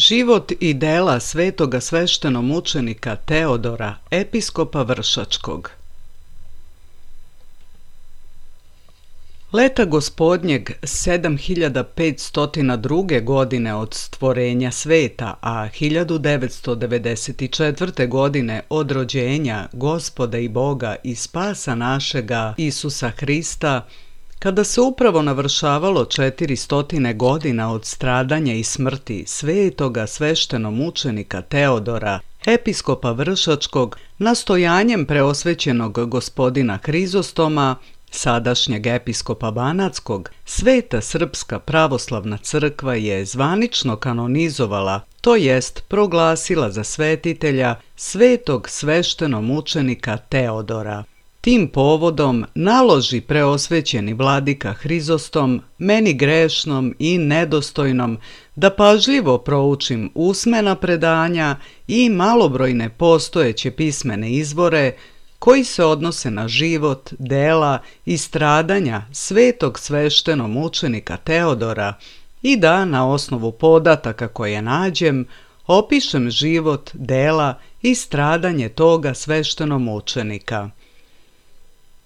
Život i dela svetoga sveštenomučenika Teodora, episkopa Vršačkog. Leta gospodnjeg 7502. godine od stvorenja sveta, a 1994. godine od rođenja Gospoda i Boga i spasa našega Isusa Hrista, Kada se upravo navršavalo 400 godina od stradanja i smrti svetoga sveštenomučenika Teodora, episkopa Vršačkog, nastojanjem preosvećenog gospodina Hrizostoma, sadašnjeg episkopa Banatskog, Sveta Srpska pravoslavna crkva je zvanično kanonizovala, to jest proglasila za svetitelja svetog sveštenomučenika Teodora. Tim povodom naloži preosvećeni vladika Hrizostom, meni grešnom i nedostojnom, da pažljivo proučim usmena predanja i malobrojne postojeće pismene izvore koji se odnose na život, dela i stradanja svetog sveštenomučenika Teodora i da na osnovu podataka koje nađem opišem život, dela i stradanje toga sveštenomučenika.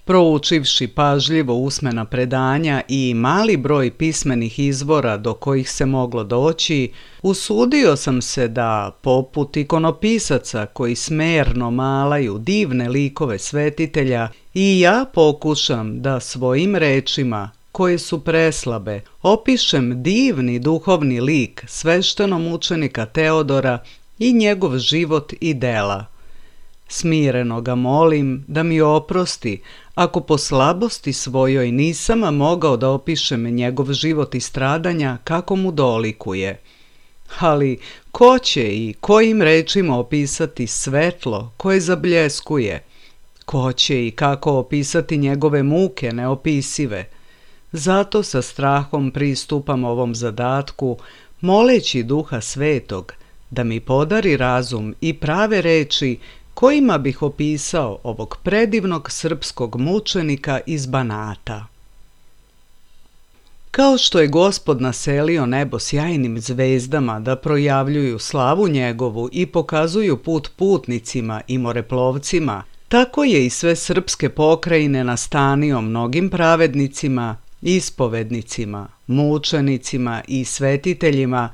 Proučivši pažljivo usmena predanja i mali broj pismenih izvora do kojih se moglo doći, usudio sam se da, poput ikonopisaca koji smerno malaju divne likove svetitelja, i ja pokušam da svojim rečima, koje su preslabe, opišem divni duhovni lik sveštenomučenika Teodora i njegov život i dela. Smireno ga molim da mi oprosti ako po slabosti svojoj nisam mogao da opišem njegov život i stradanja kako mu dolikuje. Ali ko će i kojim rečima opisati svetlo koje zabljeskuje? Ko će i kako opisati njegove muke neopisive? Zato sa strahom pristupam ovom zadatku, moleći Duha Svetog da mi podari razum i prave reči kojima bih opisao ovog predivnog srpskog mučenika iz Banata. Kao što je Gospod naselio nebo sjajnim zvezdama da projavljuju slavu njegovu i pokazuju put putnicima i moreplovcima, tako je i sve srpske pokrajine nastanio mnogim pravednicima, ispovednicima, mučenicima i svetiteljima,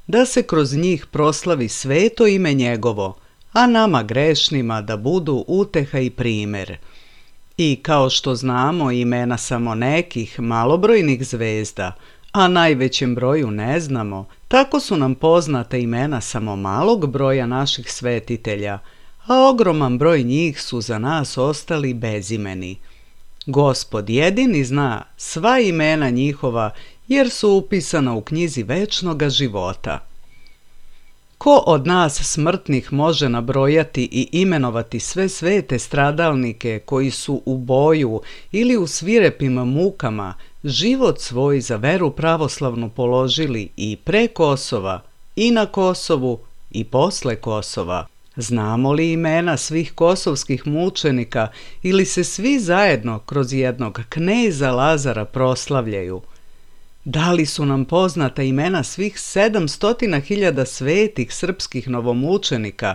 da se kroz njih proslavi sveto ime njegovo, a nama grešnima da budu uteha i primer. I kao što znamo imena samo nekih malobrojnih zvezda, a najvećem broju ne znamo, tako su nam poznata imena samo malog broja naših svetitelja, a ogroman broj njih su za nas ostali bezimeni. Gospod jedini zna sva imena njihova, jer su upisana u knjizi večnoga života. Ko od nas smrtnih može nabrojati i imenovati sve svete stradalnike koji su u boju ili u svirepim mukama život svoj za veru pravoslavnu položili i pre Kosova, i na Kosovu, i posle Kosova? Znamo li imena svih kosovskih mučenika ili se svi zajedno kroz jednog kneza Lazara proslavljaju? Da li su nam poznata imena svih 700.000 svetih srpskih novomučenika,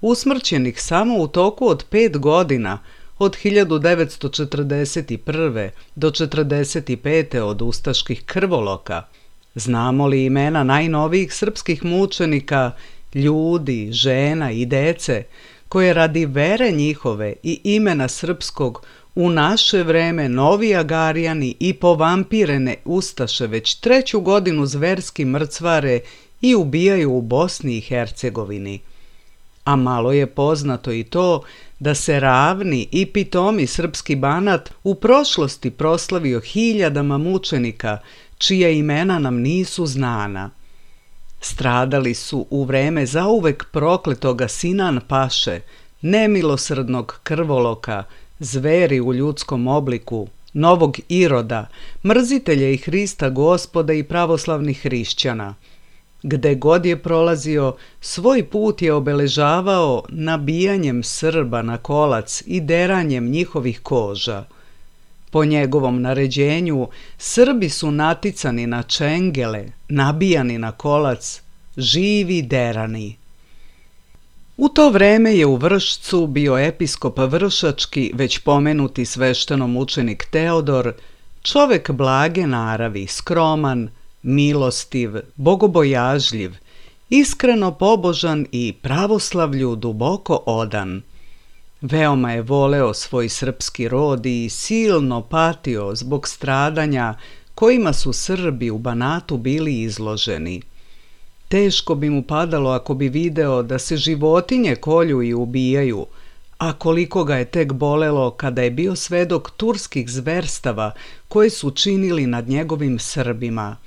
usmrćenih samo u toku od 5 godina, od 1941. do 1945. od ustaških krvoloka? Znamo li imena najnovijih srpskih mučenika, ljudi, žena i dece, koje radi vere njihove i imena srpskog u naše vreme novi Agarijani i povampirene ustaše već 3. godinu zverski mrcvare i ubijaju u Bosni i Hercegovini? A malo je poznato i to da se ravni i pitomi srpski Banat u prošlosti proslavio hiljadama mučenika, čija imena nam nisu znana. Stradali su u vreme zauvek prokletoga Sinan Paše, nemilosrdnog krvoloka, zveri u ljudskom obliku, novog Iroda, mrzitelja i Hrista Gospoda i pravoslavnih hrišćana. Gde god je prolazio, svoj put je obeležavao nabijanjem Srba na kolac i deranjem njihovih koža. Po njegovom naređenju, Srbi su naticani na čengele, nabijani na kolac, živi derani. U to vreme je u Vršcu bio episkop Vršački, već pomenuti sveštenomučenik Teodor, čovek blage naravi, skroman, milostiv, bogobojažljiv, iskreno pobožan i pravoslavlju duboko odan. Veoma je voleo svoj srpski rod i silno patio zbog stradanja kojima su Srbi u Banatu bili izloženi. Teško bi mu padalo ako bi video da se životinje kolju i ubijaju, a koliko ga je tek bolelo kada je bio svedok turskih zverstava koje su činili nad njegovim Srbima.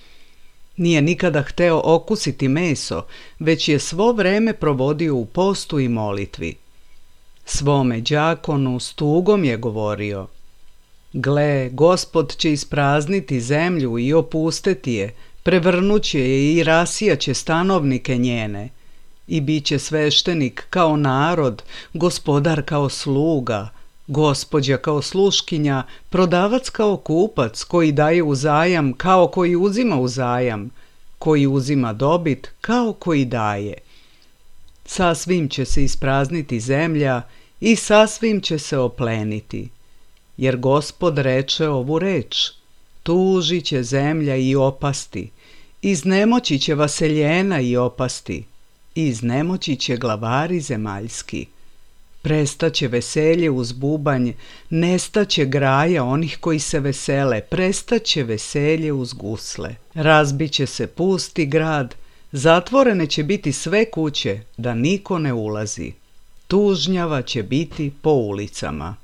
Nije nikada hteo okusiti meso, već je svo vreme provodio u postu i molitvi. Svome đakonu s tugom je govorio: Gle, Gospod će isprazniti zemlju i opusteti je, prevrnuće je i rasijaće stanovnike njene. I bit će sveštenik kao narod, gospodar kao sluga, gospođa kao sluškinja, prodavac kao kupac, koji daje u zajam kao koji uzima u zajam, koji uzima dobit kao koji daje. Sasvim će se isprazniti zemlja i sasvim će se opleniti. Jer Gospod reče ovu reč: tužit će zemlja i opasti, iznemoći će vaseljena i opasti, iznemoći će glavari zemaljski. Prestaće veselje uz bubanj, nestaće graja onih koji se vesele, prestaće veselje uz gusle. Razbiće se pusti grad, zatvorene će biti sve kuće, da niko ne ulazi. Tužnjava će biti po ulicama.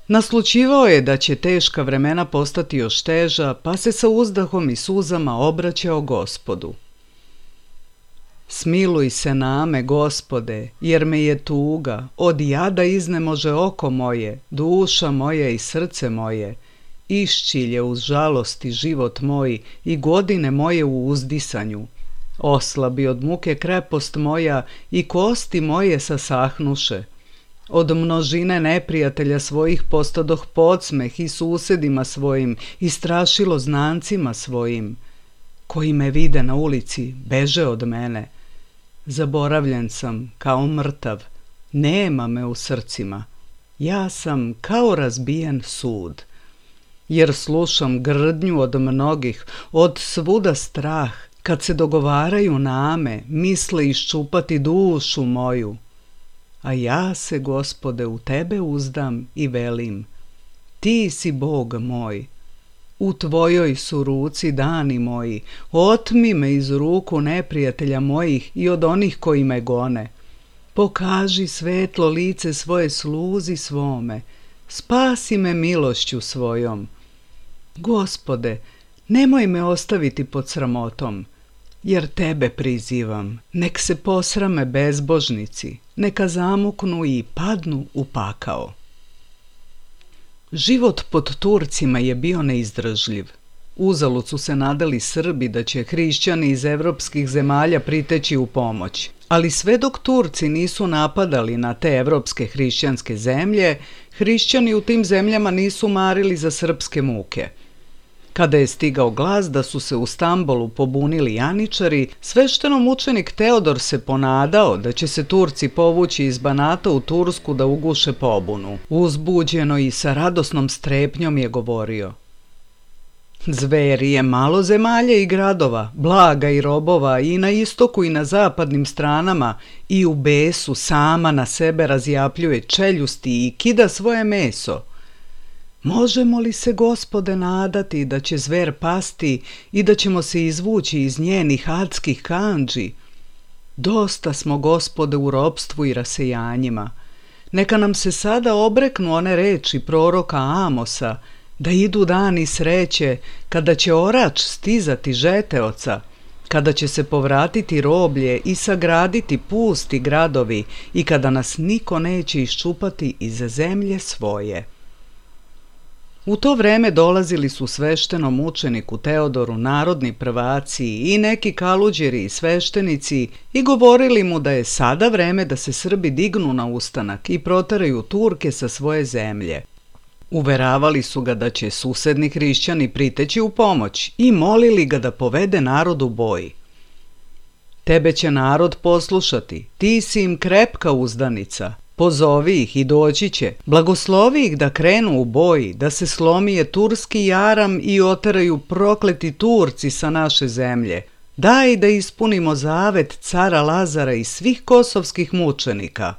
Naslućivao je da će teška vremena postati još teža, pa se sa uzdahom i suzama obraćao Gospodu. Smiluj se name, Gospode, jer me je tuga, od jada iznemože oko moje, duša moja i srce moje. Iščilje uz žalosti život moj i godine moje u uzdisanju. Oslabi od muke krepost moja i kosti moje sasahnuše. Od množine neprijatelja svojih postadoh podsmeh i susedima svojim i strašilo znancima svojim. Koji me vide na ulici, beže od mene. Zaboravljen sam kao mrtav, nema me u srcima. Ja sam kao razbijen sud. Jer slušam grdnju od mnogih, od svuda strah, kad se dogovaraju name, misle iščupati dušu moju. A ja se, Gospode, u Tebe uzdam i velim: Ti si Bog moj. U Tvojoj su ruci dani moji, otmi me iz ruku neprijatelja mojih i od onih koji me gone. Pokaži svetlo lice svoje sluzi svome, spasi me milošću svojom. Gospode, nemoj me ostaviti pod sramotom, jer Tebe prizivam. Nek se posrame bezbožnici, neka zamuknu i padnu u pakao. Život pod Turcima je bio neizdržljiv. Uzalud su se nadali Srbi da će hrišćani iz evropskih zemalja priteći u pomoć. Ali sve dok Turci nisu napadali na te evropske hrišćanske zemlje, hrišćani u tim zemljama nisu marili za srpske muke. Kada je stigao glas da su se u Stambolu pobunili janičari, sveštenomučenik Teodor se ponadao da će se Turci povući iz Banata u Tursku da uguše pobunu. Uzbuđeno i sa radosnom strepnjom je govorio: Zveri je malo zemalja i gradova, blaga i robova i na istoku i na zapadnim stranama i u besu sama na sebe razjapljuje čeljusti i kida svoje meso. Možemo li se, Gospode, nadati da će zver pasti i da ćemo se izvući iz njenih adskih kandži? Dosta smo, Gospode, u ropstvu i rasejanjima. Neka nam se sada obreknu one reči proroka Amosa, da idu dani sreće, kada će orač stizati žeteoca, kada će se povratiti roblje i sagraditi pusti gradovi i kada nas niko neće iščupati iz zemlje svoje. U to vreme dolazili su sveštenom učeniku Teodoru narodni prvaci i neki kaluđeri i sveštenici i govorili mu da je sada vreme da se Srbi dignu na ustanak i proteraju Turke sa svoje zemlje. Uveravali su ga da će susedni hrišćani priteći u pomoć i molili ga da povede narod u boj. Tebe će narod poslušati, ti si im krepka uzdanica. Pozovi ih i doći će, blagoslovi ih da krenu u boj, da se slomije turski jaram i oteraju prokleti Turci sa naše zemlje. Daj da ispunimo zavet cara Lazara i svih kosovskih mučenika.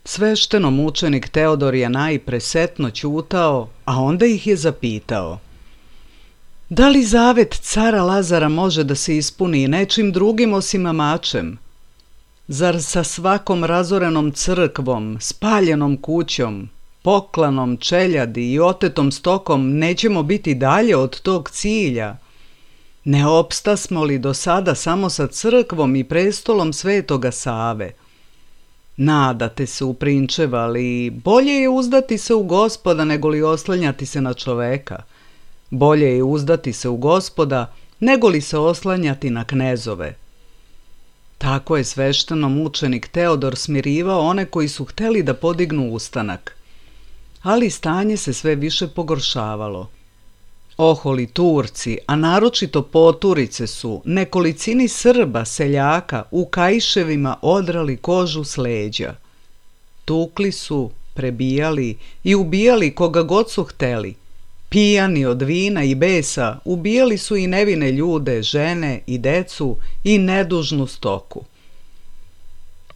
Sveštenomučenik Teodor je najpre setno ćutao, a onda ih je zapitao: da li zavet cara Lazara može da se ispuni nečim drugim osim mačem? Zar sa svakom razorenom crkvom, spaljenom kućom, poklanom čeljadi i otetom stokom nećemo biti dalje od tog cilja? Ne opstasmo li do sada samo sa crkvom i prestolom Svetoga Save? Nadate se u prinčeva, ali bolje je uzdati se u Gospoda nego li oslanjati se na čoveka. Bolje je uzdati se u Gospoda nego li se oslanjati na knezove. Tako je sveštenomučenik Teodor smirivao one koji su hteli da podignu ustanak. Ali stanje se sve više pogoršavalo. Oholi Turci, a naročito poturice su nekolicini Srba, seljaka, u kaiševima odrali kožu s leđa. Tukli su, prebijali i ubijali koga god su hteli. Pijani od vina i besa, ubijali su i nevine ljude, žene i decu i nedužnu stoku.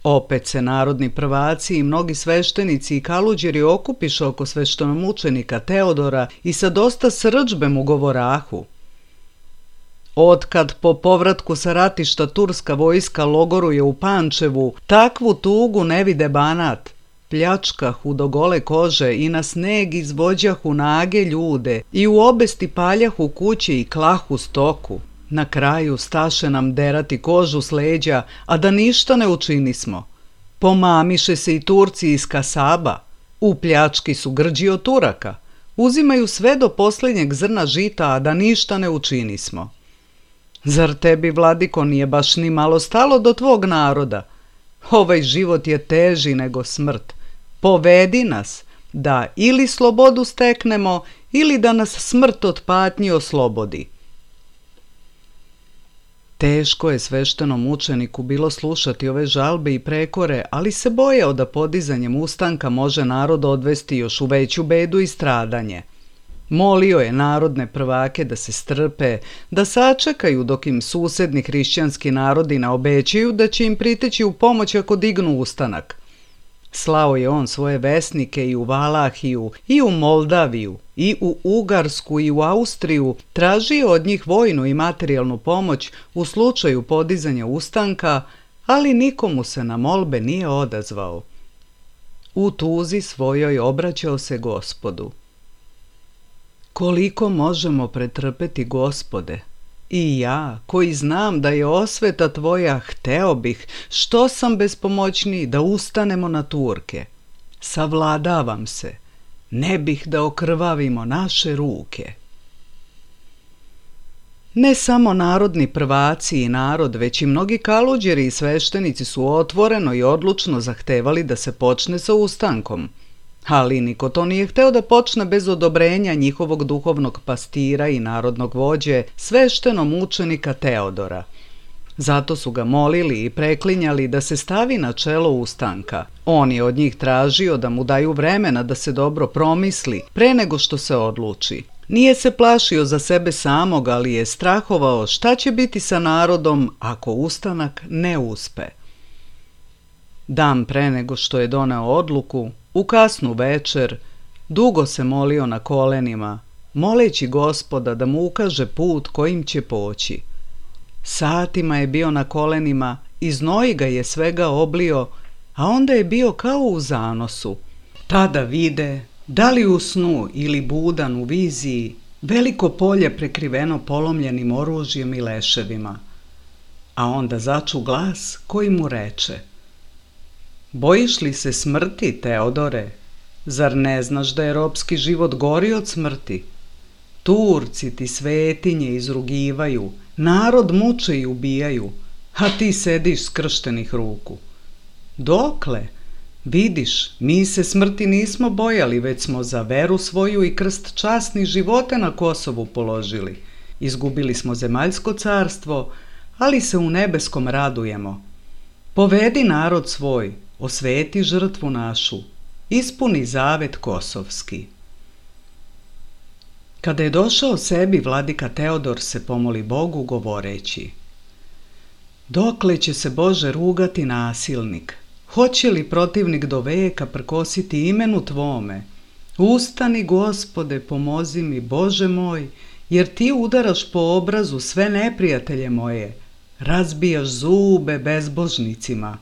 Opet se narodni prvaci i mnogi sveštenici i kaluđeri okupiše oko sveštenomučenika Teodora i sa dosta srdžbe mu govorahu: otkad po povratku sa ratišta turska vojska logoruje u Pančevu, takvu tugu ne vide Banat. Pljačkahu do gole kože i na sneg izvođahu nage ljude i u obesti paljahu kuće i klahu stoku. Na kraju staše nam derati kožu s leđa, a da ništa ne učinismo. Pomamiše se i Turci iz kasaba. U pljački su grđi od Turaka. Uzimaju sve do posljednjeg zrna žita, a da ništa ne učinismo. Zar tebi, vladiko, nije baš ni malo stalo do tvog naroda? Ovaj život je teži nego smrt. Povedi nas da ili slobodu steknemo ili da nas smrt od patnji oslobodi. Teško je sveštenomučeniku bilo slušati ove žalbe i prekore, ali se bojao da podizanjem ustanka može narod odvesti još u veću bedu i stradanje. Molio je narodne prvake da se strpe, da sačekaju dok im susedni hrišćanski narodi ne obećaju da će im priteći u pomoć ako dignu ustanak. Slao je on svoje vesnike i u Valahiju, i u Moldaviju, i u Ugarsku, i u Austriju, tražio od njih vojnu i materijalnu pomoć u slučaju podizanja ustanka, ali nikomu se na molbe nije odazvao. U tuzi svojoj obraćao se Gospodu: koliko možemo pretrpeti, Gospode? I ja, koji znam da je osveta tvoja, hteo bih, što sam bespomoćniji, da ustanemo na Turke. Savladavam se, ne bih da okrvavimo naše ruke. Ne samo narodni prvaci i narod, već i mnogi kaluđeri i sveštenici su otvoreno i odlučno zahtevali da se počne sa ustankom. Ali niko to nije hteo da počne bez odobrenja njihovog duhovnog pastira i narodnog vođe, sveštenomučenika Teodora. Zato su ga molili i preklinjali da se stavi na čelo ustanka. On je od njih tražio da mu daju vremena da se dobro promisli pre nego što se odluči. Nije se plašio za sebe samog, ali je strahovao šta će biti sa narodom ako ustanak ne uspe. Dan pre nego što je doneo odluku, u kasnu večer, dugo se molio na kolenima, moleći Gospoda da mu ukaže put kojim će poći. Satima je bio na kolenima i znoj ga je svega oblio, a onda je bio kao u zanosu. Tada vide, da li u snu ili budan u viziji, veliko polje prekriveno polomljenim oružjem i leševima. A onda začu glas koji mu reče: bojiš li se smrti, Teodore? Zar ne znaš da je ropski život gori od smrti? Turci ti svetinje izrugivaju, narod muče i ubijaju, a ti sediš skrštenih ruku. Dokle? Vidiš, mi se smrti nismo bojali, već smo za veru svoju i krst časnih života na Kosovu položili. Izgubili smo zemaljsko carstvo, ali se u nebeskom radujemo. Povedi narod svoj, osveti žrtvu našu, ispuni zavet kosovski. Kada je došao sebi, vladika Teodor se pomoli Bogu govoreći: dokle će se, Bože, rugati nasilnik? Hoće li protivnik do veka prkositi imenu tvome? Ustani, Gospode, pomozi mi, Bože moj, jer ti udaraš po obrazu sve neprijatelje moje, razbijaš zube bezbožnicima.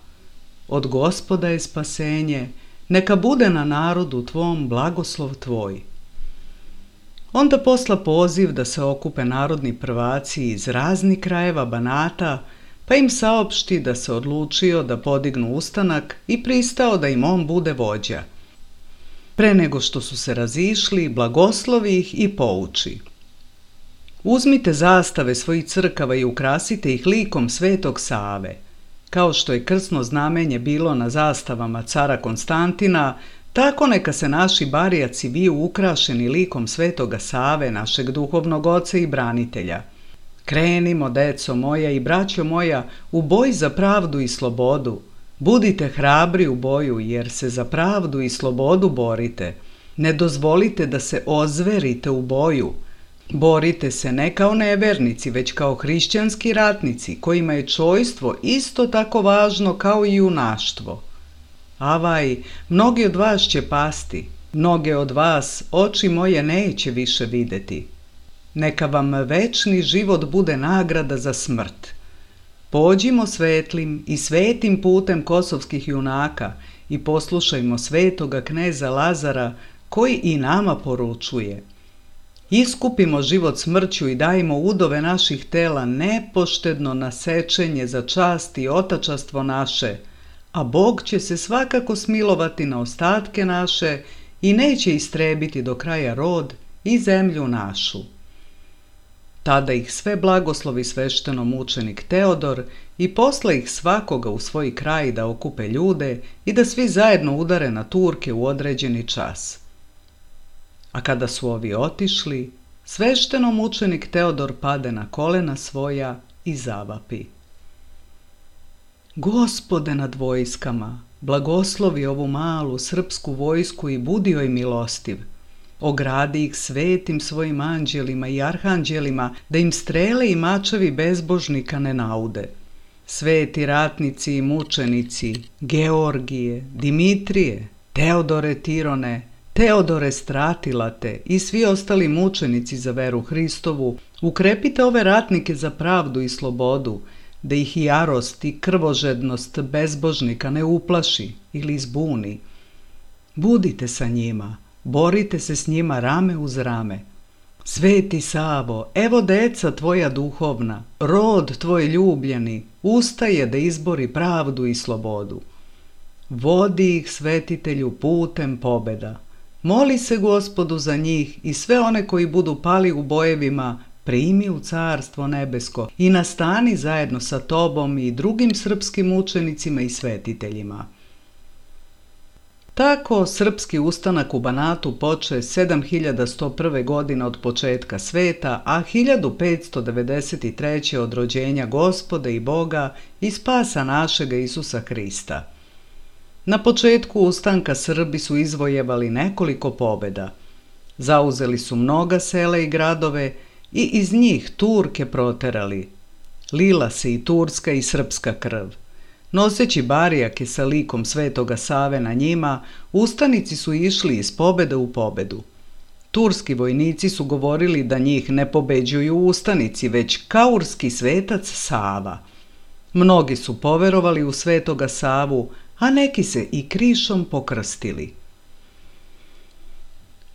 Od Gospoda je spasenje, neka bude na narodu tvom blagoslov tvoj. Onda posla poziv da se okupe narodni prvaci iz raznih krajeva Banata, pa im saopšti da se odlučio da podignu ustanak i pristao da im on bude vođa. Pre nego što su se razišli, blagoslovi ih i pouči. Uzmite zastave svojih crkava i ukrasite ih likom Svetog Save. Kao što je krsno znamenje bilo na zastavama cara Konstantina, tako neka se naši barijaci viju ukrašeni likom Svetoga Save, našeg duhovnog oca i branitelja. Krenimo, deco moja i braćo moja, u boj za pravdu i slobodu. Budite hrabri u boju, jer se za pravdu i slobodu borite. Ne dozvolite da se ozverite u boju. Borite se ne kao nevernici, već kao hrišćanski ratnici, kojima je čojstvo isto tako važno kao i junaštvo. Avaj, mnogi od vas će pasti, mnoge od vas oči moje neće više videti. Neka vam večni život bude nagrada za smrt. Pođimo svetlim i svetim putem kosovskih junaka i poslušajmo svetoga kneza Lazara, koji i nama poručuje: iskupimo život smrću i dajmo udove naših tela nepoštedno na sečenje za čast i otačastvo naše, a Bog će se svakako smilovati na ostatke naše i neće istrebiti do kraja rod i zemlju našu. Tada ih sve blagoslovi sveštenomučenik Teodor i posla ih svakoga u svoj kraj da okupe ljude i da svi zajedno udare na Turke u određeni čas. A kada su ovi otišli, sveštenomučenik Teodor pade na kolena svoja i zavapi: Gospode nad vojskama, blagoslovi ovu malu srpsku vojsku i budi joj milostiv. Ogradi ih svetim svojim anđelima i arhanđelima, da im strele i mačevi bezbožnika ne naude. Sveti ratnici i mučenici, Georgije, Dimitrije, Teodore Tirone, Teodore Stratilate i svi ostali mučenici za veru Hristovu, ukrepite ove ratnike za pravdu i slobodu, da ih jarost i krvožednost bezbožnika ne uplaši ili zbuni. Budite sa njima, borite se s njima rame uz rame. Sveti Savo, evo deca tvoja duhovna, rod tvoj ljubljeni, ustaje da izbori pravdu i slobodu. Vodi ih, svetitelju, putem pobeda. Moli se Gospodu za njih i sve one koji budu pali u bojevima, primi u carstvo nebesko i nastani zajedno sa tobom i drugim srpskim učenicima i svetiteljima. Tako srpski ustanak u Banatu poče 7101. godine od početka sveta, a 1593. od rođenja Gospoda i Boga i spasa našega Isusa Hrista. Na početku ustanka Srbi su izvojevali nekoliko pobeda. Zauzeli su mnoga sela i gradove i iz njih Turke proterali. Lila se i turska i srpska krv. Noseći barijake sa likom Svetoga Save na njima, ustanici su išli iz pobede u pobedu. Turski vojnici su govorili da njih ne pobeđuju ustanici, već kaurski svetac Sava. Mnogi su poverovali u Svetoga Savu, a neki se i krišom pokrstili.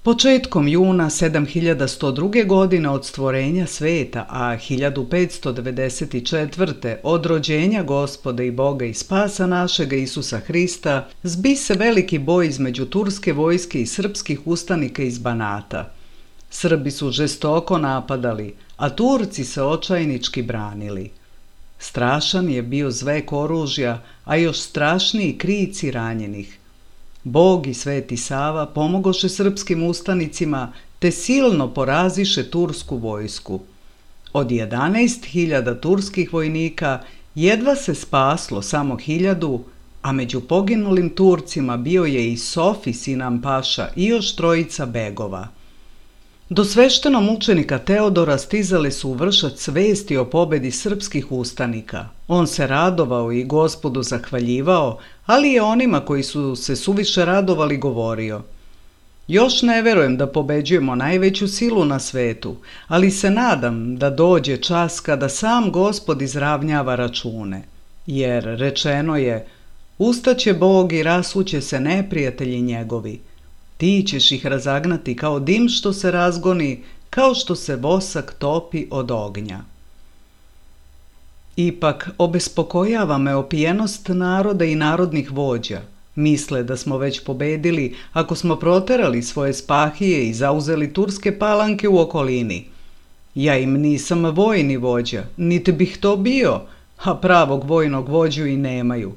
Početkom juna 7102. godine od stvorenja sveta, a 1594. od rođenja Gospoda i Boga i spasa našega Isusa Hrista, zbi se veliki boj između turske vojske i srpskih ustanika iz Banata. Srbi su žestoko napadali, a Turci se očajnički branili. Strašan je bio zvek oružja, a još strašniji krici ranjenih. Bog i Sveti Sava pomogoše srpskim ustanicima te silno poraziše tursku vojsku. Od 11.000 turskih vojnika jedva se spaslo samo 1000, a među poginulim Turcima bio je i Sofi Sinan Paša i još 3 begova. Do sveštenomučenika Teodora stizale su u Vršac vesti o pobedi srpskih ustanika. On se radovao i Gospodu zahvaljivao, ali je onima koji su se suviše radovali govorio: još ne verujem da pobeđujemo najveću silu na svetu, ali se nadam da dođe čas kada sam Gospod izravnjava račune. Jer rečeno je: ustaće Bog i rasuće se neprijatelji njegovi. Ti ćeš ih razagnati kao dim što se razgoni, kao što se vosak topi od ognja. Ipak obespokojava me opijenost naroda i narodnih vođa. Misle da smo već pobedili ako smo proterali svoje spahije i zauzeli turske palanke u okolini. Ja im nisam vojni vođa, niti bih to bio, a pravog vojnog vođu i nemaju.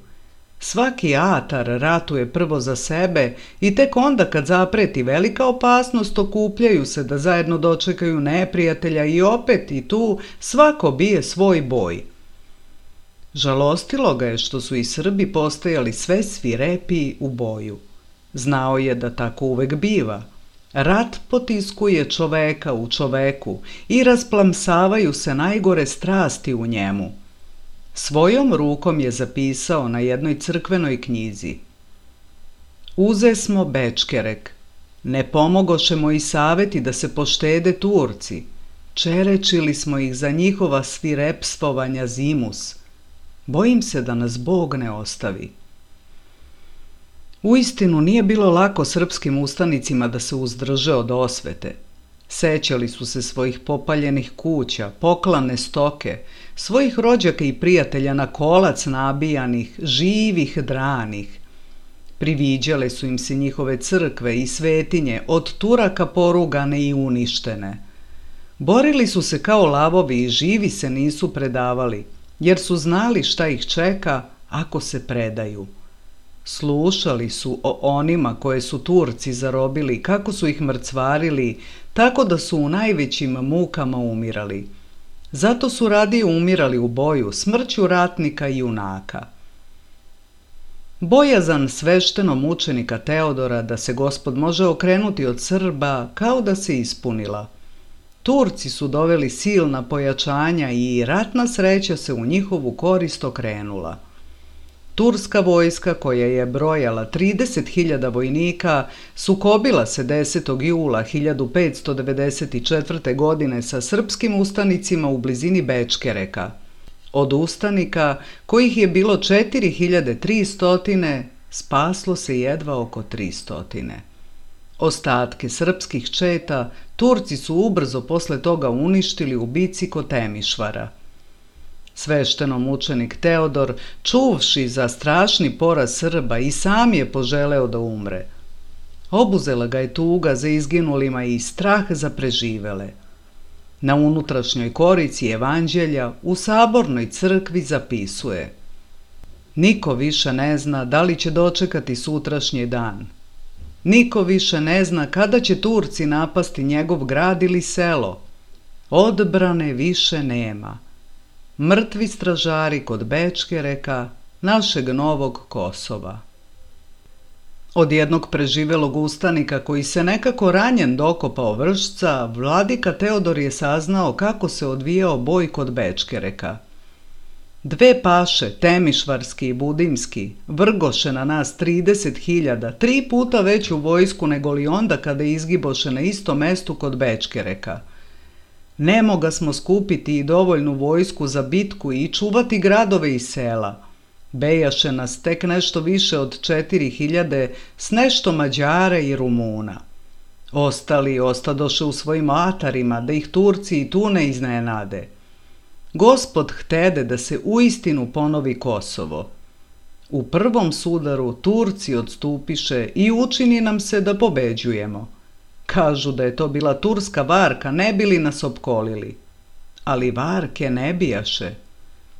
Svaki atar ratuje prvo za sebe i tek onda kad zapreti velika opasnost okupljaju se da zajedno dočekaju neprijatelja i opet i tu svako bije svoj boj. Žalostilo ga je što su i Srbi postajali sve svirepiji u boju. Znao je da tako uvek biva. Rat potiskuje čoveka u čoveku i rasplamsavaju se najgore strasti u njemu. Svojom rukom je zapisao na jednoj crkvenoj knjizi: uze smo Bečkerek, ne pomogoše moji saveti da se poštede Turci, čerečili smo ih za njihova svirepstvovanja zimus. Bojim se da nas Bog ne ostavi. Uistinu nije bilo lako srpskim ustanicima da se uzdrže od osvete. Sećali su se svojih popaljenih kuća, poklane stoke, svojih rođaka i prijatelja na kolac nabijanih, živih, dranih. Priviđale su im se njihove crkve i svetinje, od Turaka porugane i uništene. Borili su se kao lavovi i živi se nisu predavali, jer su znali šta ih čeka ako se predaju. Slušali su o onima koje su Turci zarobili, kako su ih mrcvarili, tako da su u najvećim mukama umirali. Zato su radije umirali u boju, smrću ratnika i junaka. Bojazan sveštenomučenika Teodora da se Gospod može okrenuti od Srba kao da se ispunila. Turci su doveli silna pojačanja i ratna sreća se u njihovu korist okrenula. Turska vojska, koja je brojala 30.000 vojnika, sukobila se 10. jula 1594. godine sa srpskim ustanicima u blizini Bečkereka. Od ustanika, kojih je bilo 4.300, spaslo se jedva oko 300. Ostatke srpskih četa Turci su ubrzo posle toga uništili u bici kod Temišvara. Sveštenomučenik Teodor, čuvši za strašni poraz Srba, i sam je poželeo da umre. Obuzela ga je tuga za izginulima i strah za preživele. Na unutrašnjoj korici evanđelja u sabornoj crkvi zapisuje: niko više ne zna da li će dočekati sutrašnji dan. Niko više ne zna kada će Turci napasti njegov grad ili selo. Odbrane više nema. Mrtvi stražari kod Bečkereka, našeg novog Kosova. Od jednog preživelog ustanika koji se nekako ranjen dokopao Vršca, vladika Teodor je saznao kako se odvijao boj kod Bečkereka. Dve paše, Temišvarski i Budimski, vrgoše na nas 30.000, 3 puta veću vojsku nego li onda kada izgiboše na istom mestu kod Bečkereka. Ne moga smo skupiti i dovoljnu vojsku za bitku i čuvati gradove i sela. Bejaše nas tek nešto više od 4.000 s nešto Mađara i Rumuna. Ostali ostadoše u svojim atarima da ih Turci i tu ne iznenade. Gospod htede da se uistinu ponovi Kosovo. U prvom sudaru Turci odstupiše i učini nam se da pobeđujemo. Kažu da je to bila turska varka, ne bili nas opkolili. Ali varke ne bijaše.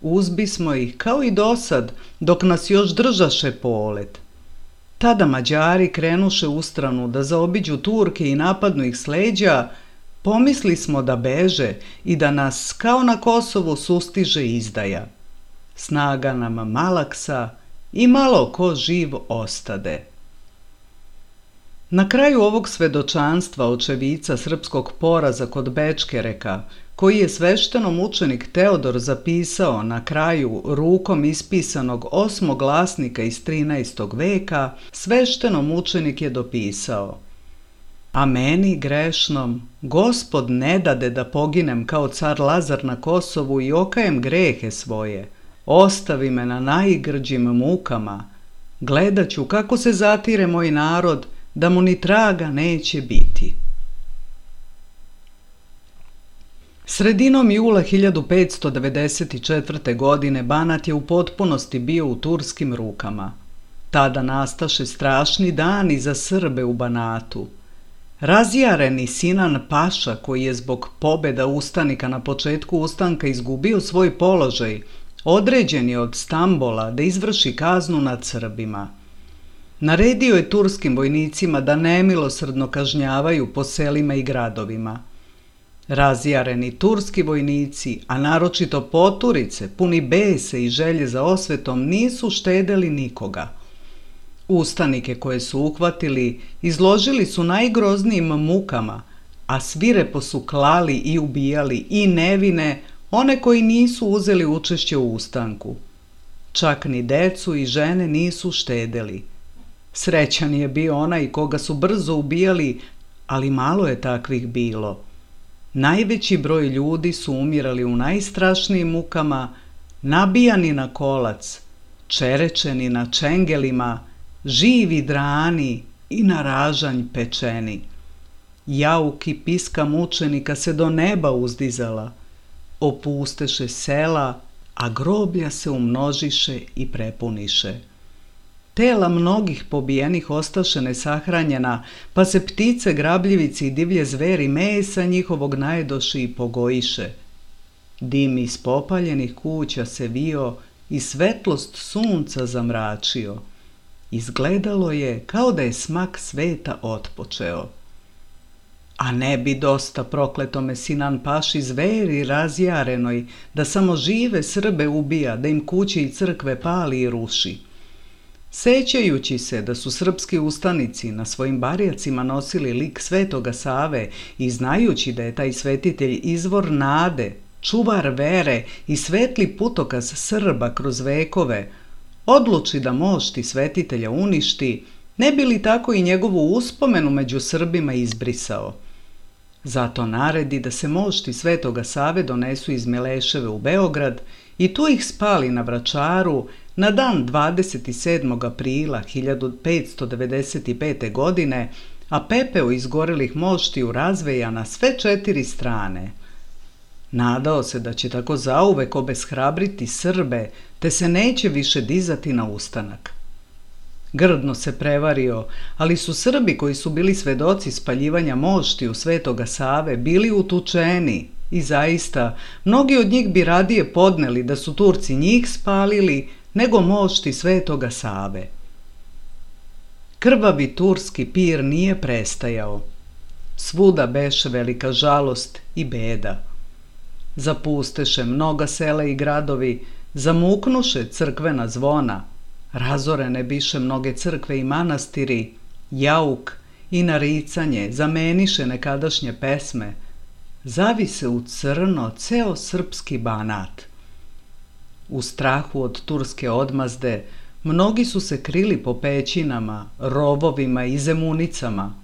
Uzbismo ih kao i dosad, dok nas još držaše polet. Tada Mađari krenuše ustranu da zaobiđu Turke i napadnu ih s leđa. Pomisli smo da beže i da nas kao na Kosovu sustiže izdaja. Snaga nam malaksa i malo ko živ ostade. Na kraju ovog svedočanstva očevica srpskog poraza kod Bečkereka, koji je sveštenomučenik Teodor zapisao na kraju rukom ispisanog osmoglasnika iz 13. veka, sveštenomučenik je dopisao: A meni, grešnom, Gospod ne dade da poginem kao car Lazar na Kosovu i okajem grehe svoje. Ostavi me na najgrđim mukama. Gledat ću kako se zatire moj narod, da mu ni traga neće biti. Sredinom jula 1594. godine Banat je u potpunosti bio u turskim rukama. Tada nastaše strašni dani za Srbe u Banatu. Razjareni Sinan Paša, koji je zbog pobjeda ustanika na početku ustanka izgubio svoj položaj, određen je od Stambola da izvrši kaznu nad Srbima. Naredio je turskim vojnicima da nemilosrdno kažnjavaju po selima i gradovima. Razjareni turski vojnici, a naročito poturice, puni bese i želje za osvetom, nisu štedeli nikoga. Ustanike koje su uhvatili izložili su najgroznijim mukama, a svirepo su klali i ubijali i nevine, one koji nisu uzeli učešće u ustanku. Čak ni decu i žene nisu štedeli. Srećan je bio onaj koga su brzo ubijali, ali malo je takvih bilo. Najveći broj ljudi su umirali u najstrašnijim mukama, nabijani na kolac, čerečeni na čengelima, živi drani i na ražanj pečeni. Jauk i piska mučenika se do neba uzdizala, opusteše sela, a groblja se umnožiše i prepuniše. Tela mnogih pobijenih ostaše nesahranjena, pa se ptice, grabljivici i divlje zveri mesa njihovog najedoši i pogojiše. Dim iz popaljenih kuća se vio i svetlost sunca zamračio. Izgledalo je kao da je smak sveta otpočeo. A ne bi dosta prokletome Sinan Paši zveri razjarenoj, da samo žive Srbe ubija, da im kuće i crkve pali i ruši. Sećajući se da su srpski ustanici na svojim barjacima nosili lik Svetoga Save i znajući da je taj svetitelj izvor nade, čuvar vere i svetli putokaz Srba kroz vekove, odluči da mošti svetitelja uništi, ne bi li tako i njegovu uspomenu među Srbima izbrisao. Zato naredi da se mošti Svetoga Save donesu iz Mileševe u Beograd i tu ih spali na Vračaru na dan 27. aprila 1595. godine, a pepeo izgorelih moštiju razveja na sve 4 strane. Nadao se da će tako zauvek obeshrabriti Srbe, te se neće više dizati na ustanak. Grdno se prevario, ali su Srbi koji su bili svedoci spaljivanja moštiju Svetoga Save bili utučeni i zaista mnogi od njih bi radije podneli da su Turci njih spalili nego mošti Svetoga Save. Krvavi turski pir nije prestajao. Svuda beše velika žalost i beda. Zapusteše mnoga sela i gradovi, zamuknuše crkvena zvona, razorene biše mnoge crkve i manastiri, jauk i naricanje zameniše nekadašnje pesme, zavise u crno ceo srpski Banat. U strahu od turske odmazde, mnogi su se krili po pećinama, rovovima i zemunicama,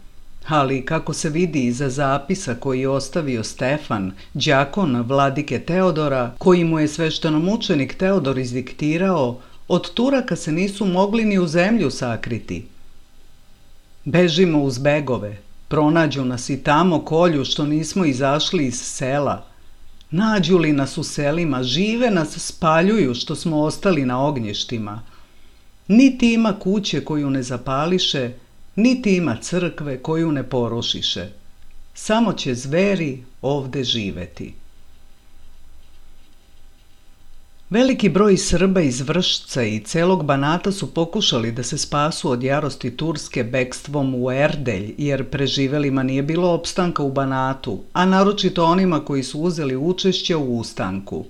ali kako se vidi iza zapisa koji je ostavio Stefan, đakon vladike Teodora, koji mu je sveštenomučenik Teodor izdiktirao, od Turaka se nisu mogli ni u zemlju sakriti. Bežimo uz begove, pronađu nas i tamo kolju što nismo izašli iz sela. Nađu li nas u selima, žive nas spaljuju što smo ostali na ognjištima. Niti ima kuće koju ne zapališe, niti ima crkve koju ne porušiše. Samo će zveri ovde živeti. Veliki broj Srba iz Vršca i celog Banata su pokušali da se spasu od jarosti Turske bekstvom u Erdelj, jer preživelima nije bilo opstanka u Banatu, a naročito onima koji su uzeli učešće u ustanku.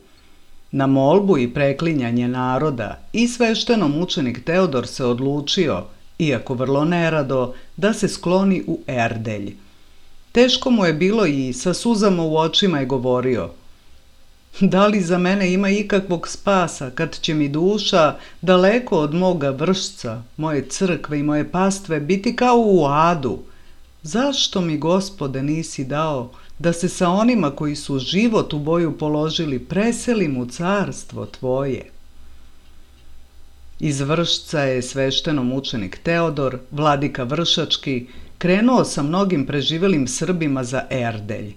Na molbu i preklinjanje naroda i sveštenomučenik Teodor se odlučio iako vrlo nerado, da se skloni u Erdelj. Teško mu je bilo i sa suzama u očima je govorio: da li za mene ima ikakvog spasa kad će mi duša daleko od moga Vršca, moje crkve i moje pastve biti kao u adu? Zašto mi, Gospode, nisi dao da se sa onima koji su život u boju položili preselim u carstvo Tvoje? Iz Vršca je sveštenomučenik Teodor, vladika Vršački, krenuo sa mnogim preživelim Srbima za Erdelj.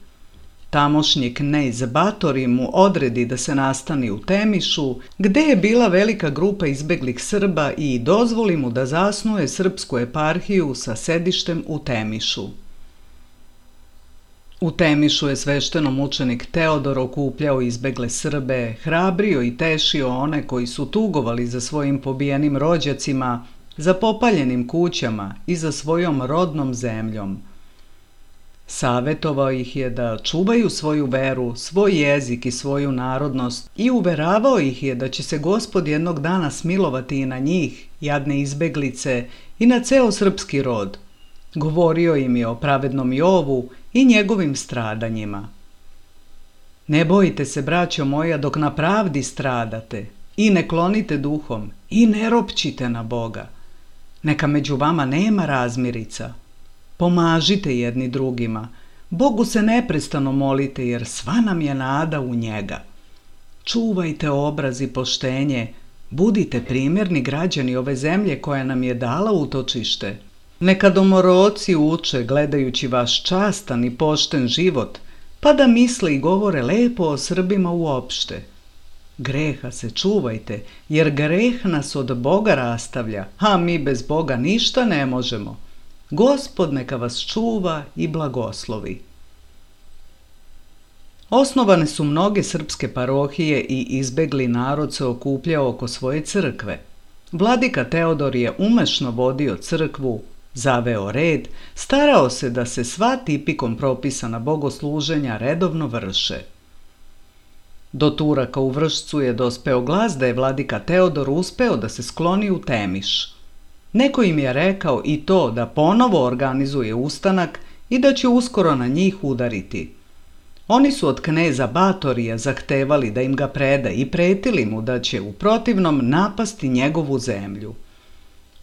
Tamošnji knez Batori mu odredi da se nastani u Temišu, gde je bila velika grupa izbeglih Srba, i dozvoli mu da zasnuje srpsku eparhiju sa sedištem u Temišu. U Temišu je sveštenomučenik Teodor okupljao izbegle Srbe, hrabrio i tešio one koji su tugovali za svojim pobijenim rođacima, za popaljenim kućama i za svojom rodnom zemljom. Savetovao ih je da čuvaju svoju veru, svoj jezik i svoju narodnost i uveravao ih je da će se Gospod jednog dana smilovati i na njih, jadne izbeglice, i na ceo srpski rod. Govorio im je o pravednom Jovu i njegovim stradanjima. Ne bojte se, braćo moja, dok na pravdi stradate, i ne klonite duhom, i ne ropćite na Boga. Neka među vama nema razmirica. Pomažite jedni drugima. Bogu se neprestano molite, jer sva nam je nada u njega. Čuvajte obraz i poštenje. Budite primjerni građani ove zemlje koja nam je dala utočište. Neka domoroci uče, gledajući vaš častan i pošten život, pa da misle i govore lepo o Srbima uopšte. Greha se čuvajte, jer greh nas od Boga rastavlja, a mi bez Boga ništa ne možemo. Gospod neka vas čuva i blagoslovi. Osnovane su mnoge srpske parohije i izbegli narod se okupljao oko svoje crkve. Vladika Teodor je umešno vodio crkvu, zaveo red, starao se da se sva tipikom propisana bogosluženja redovno vrše. Do Turaka u Vršcu je dospeo glas da je vladika Teodor uspeo da se skloni u Temiš. Neko im je rekao i to da ponovo organizuje ustanak i da će uskoro na njih udariti. Oni su od kneza Batorija zahtevali da im ga preda i pretili mu da će u protivnom napasti njegovu zemlju.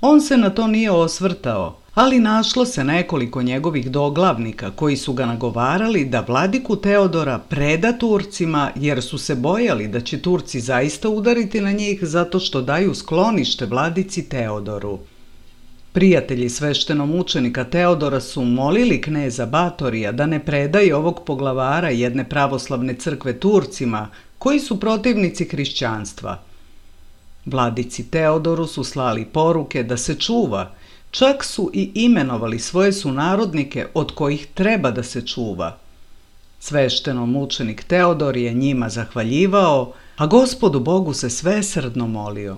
On se na to nije osvrtao, ali našlo se nekoliko njegovih doglavnika koji su ga nagovarali da vladiku Teodora preda Turcima, jer su se bojali da će Turci zaista udariti na njih zato što daju sklonište vladici Teodoru. Prijatelji sveštenomučenika Teodora su molili kneza Batorija da ne predaje ovog poglavara jedne pravoslavne crkve Turcima, koji su protivnici hrišćanstva. Vladici Teodoru su slali poruke da se čuva, čak su i imenovali svoje sunarodnike od kojih treba da se čuva. Sveštenomučenik Teodor je njima zahvaljivao, a Gospodu Bogu se svesrdno molio.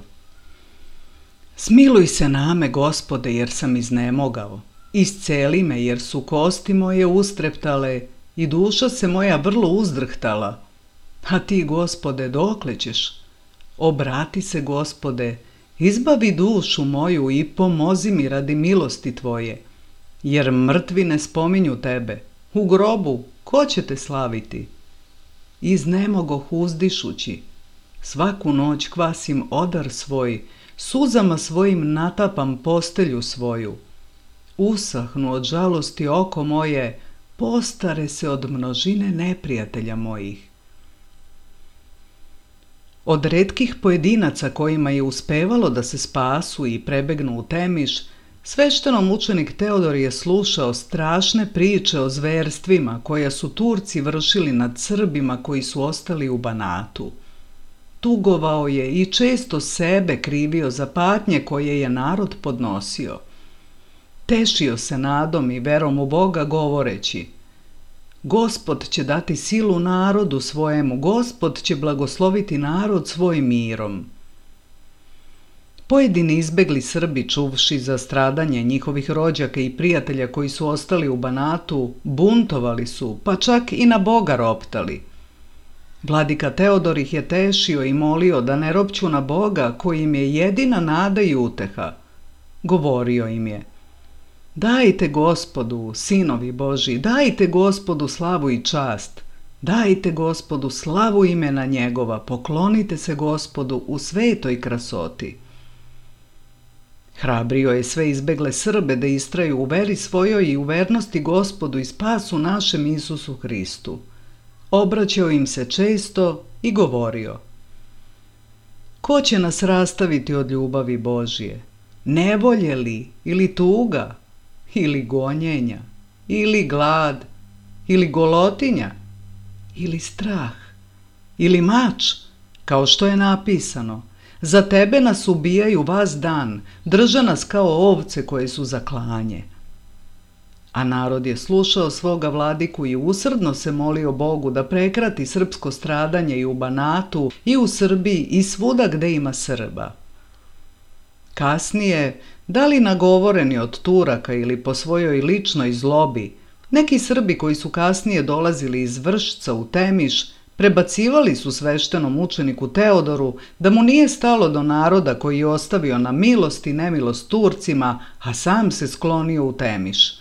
Smiluj se name, Gospode, jer sam iznemogao. Isceli me, jer su kosti moje ustreptale i duša se moja vrlo uzdrhtala. A ti, Gospode, dokle ćeš? Obrati se, Gospode, izbavi dušu moju i pomozi mi radi milosti Tvoje, jer mrtvi ne spominju Tebe. U grobu ko će Te slaviti? Iznemogoh uzdišući. Svaku noć kvasim odar svoj, suzama svojim natapam postelju svoju. Usahnu od žalosti oko moje, postare se od množine neprijatelja mojih. Od retkih pojedinaca kojima je uspevalo da se spasu i prebegnu u Temiš, sveštenomučenik Teodor je slušao strašne priče o zverstvima koja su Turci vršili nad Srbima koji su ostali u Banatu. Tugovao je i često sebe krivio za patnje koje je narod podnosio. Tešio se nadom i verom u Boga govoreći: Gospod će dati silu narodu svojemu, Gospod će blagosloviti narod svojim mirom. Pojedini izbegli Srbi, čuvši za stradanje njihovih rođaka i prijatelja koji su ostali u Banatu, buntovali su, pa čak i na Boga roptali. Vladika Teodor ih je tešio i molio da ne ropću na Boga koji im je jedina nada i uteha. Govorio im je: dajte Gospodu, sinovi Božji, dajte Gospodu slavu i čast, dajte Gospodu slavu imena njegova, poklonite se Gospodu u svetoj krasoti. Hrabrio je sve izbegle Srbe da istraju u veri svojoj i u vernosti Gospodu i spasu našem Isusu Hristu. Obraćao im se često i govorio: ko će nas rastaviti od ljubavi Božje? Nevolje li, ili tuga, ili gonjenja, ili glad, ili golotinja, ili strah, ili mač, kao što je napisano: za tebe nas ubijaju vas dan, drže nas kao ovce koje su za klanje. A narod je slušao svoga vladiku i usrdno se molio Bogu da prekrati srpsko stradanje i u Banatu, i u Srbiji, i svuda gde ima Srba. Kasnije, da li nagovoreni od Turaka ili po svojoj ličnoj zlobi, neki Srbi koji su kasnije dolazili iz Vršca u Temiš prebacivali su sveštenom učeniku Teodoru da mu nije stalo do naroda koji je ostavio na milost i nemilost Turcima, a sam se sklonio u Temiš.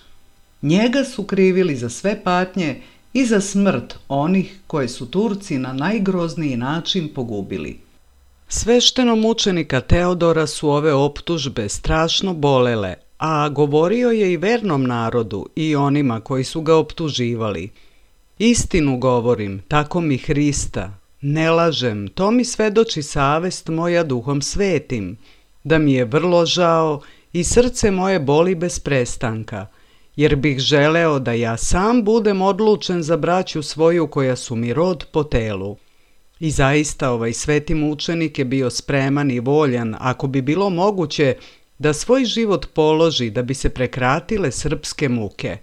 Njega su krivili za sve patnje i za smrt onih koje su Turci na najgrozniji način pogubili. Sveštenom učenika Teodora su ove optužbe strašno bolele, a govorio je i vernom narodu i onima koji su ga optuživali: istinu govorim, tako mi Hrista, ne lažem, to mi svedoči savest moja Duhom Svetim, da mi je vrlo žao i srce moje boli bez prestanka, jer bih želeo da ja sam budem odlučen za braću svoju koja su mi rod po telu. I zaista ovaj sveti mučenik je bio spreman i voljan, ako bi bilo moguće, da svoj život položi da bi se prekratile srpske muke.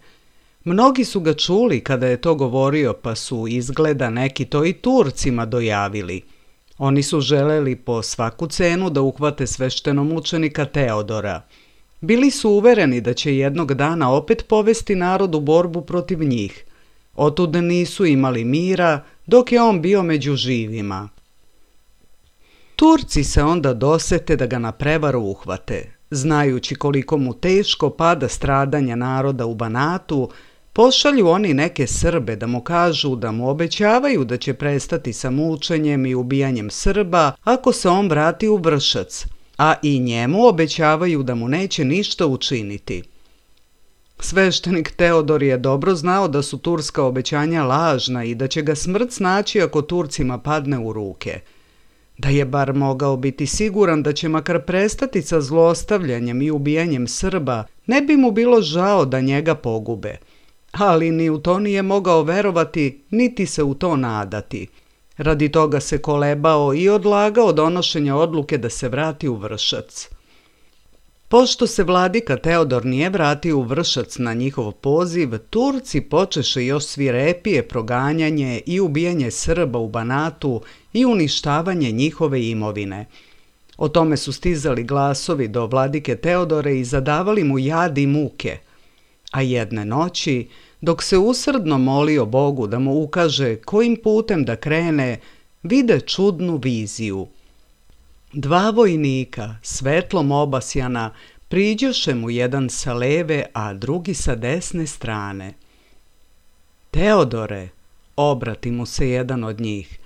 Mnogi su ga čuli kada je to govorio, pa su izgleda neki to i Turcima dojavili. Oni su želeli po svaku cenu da uhvate sveštenomučenika Teodora. Bili su uvereni da će jednog dana opet povesti narod u borbu protiv njih. Otud nisu imali mira dok je on bio među živima. Turci se onda dosete da ga na prevaru uhvate. Znajući koliko mu teško pada stradanja naroda u Banatu, pošalju oni neke Srbe da mu kažu da mu obećavaju da će prestati sa mučenjem i ubijanjem Srba ako se on vrati u Vršac, a i njemu obećavaju da mu neće ništa učiniti. Sveštenik Teodor je dobro znao da su turska obećanja lažna i da će ga smrt snaći ako Turcima padne u ruke. Da je bar mogao biti siguran da će makar prestati sa zlostavljanjem i ubijanjem Srba, ne bi mu bilo žao da njega pogube. Ali ni u to nije mogao verovati, niti se u to nadati. Radi toga se kolebao i odlagao donošenja odluke da se vrati u Vršac. Pošto se vladika Teodor nije vratio u Vršac na njihov poziv, Turci počeše još svirepije proganjanje i ubijanje Srba u Banatu i uništavanje njihove imovine. O tome su stizali glasovi do vladike Teodore i zadavali mu jad i muke. A jedne noći, dok se usrdno molio Bogu da mu ukaže kojim putem da krene, vide čudnu viziju. Dva vojnika, svetlom obasjana, priđoše mu jedan sa leve, a drugi sa desne strane. Teodore, obrati mu se jedan od njih,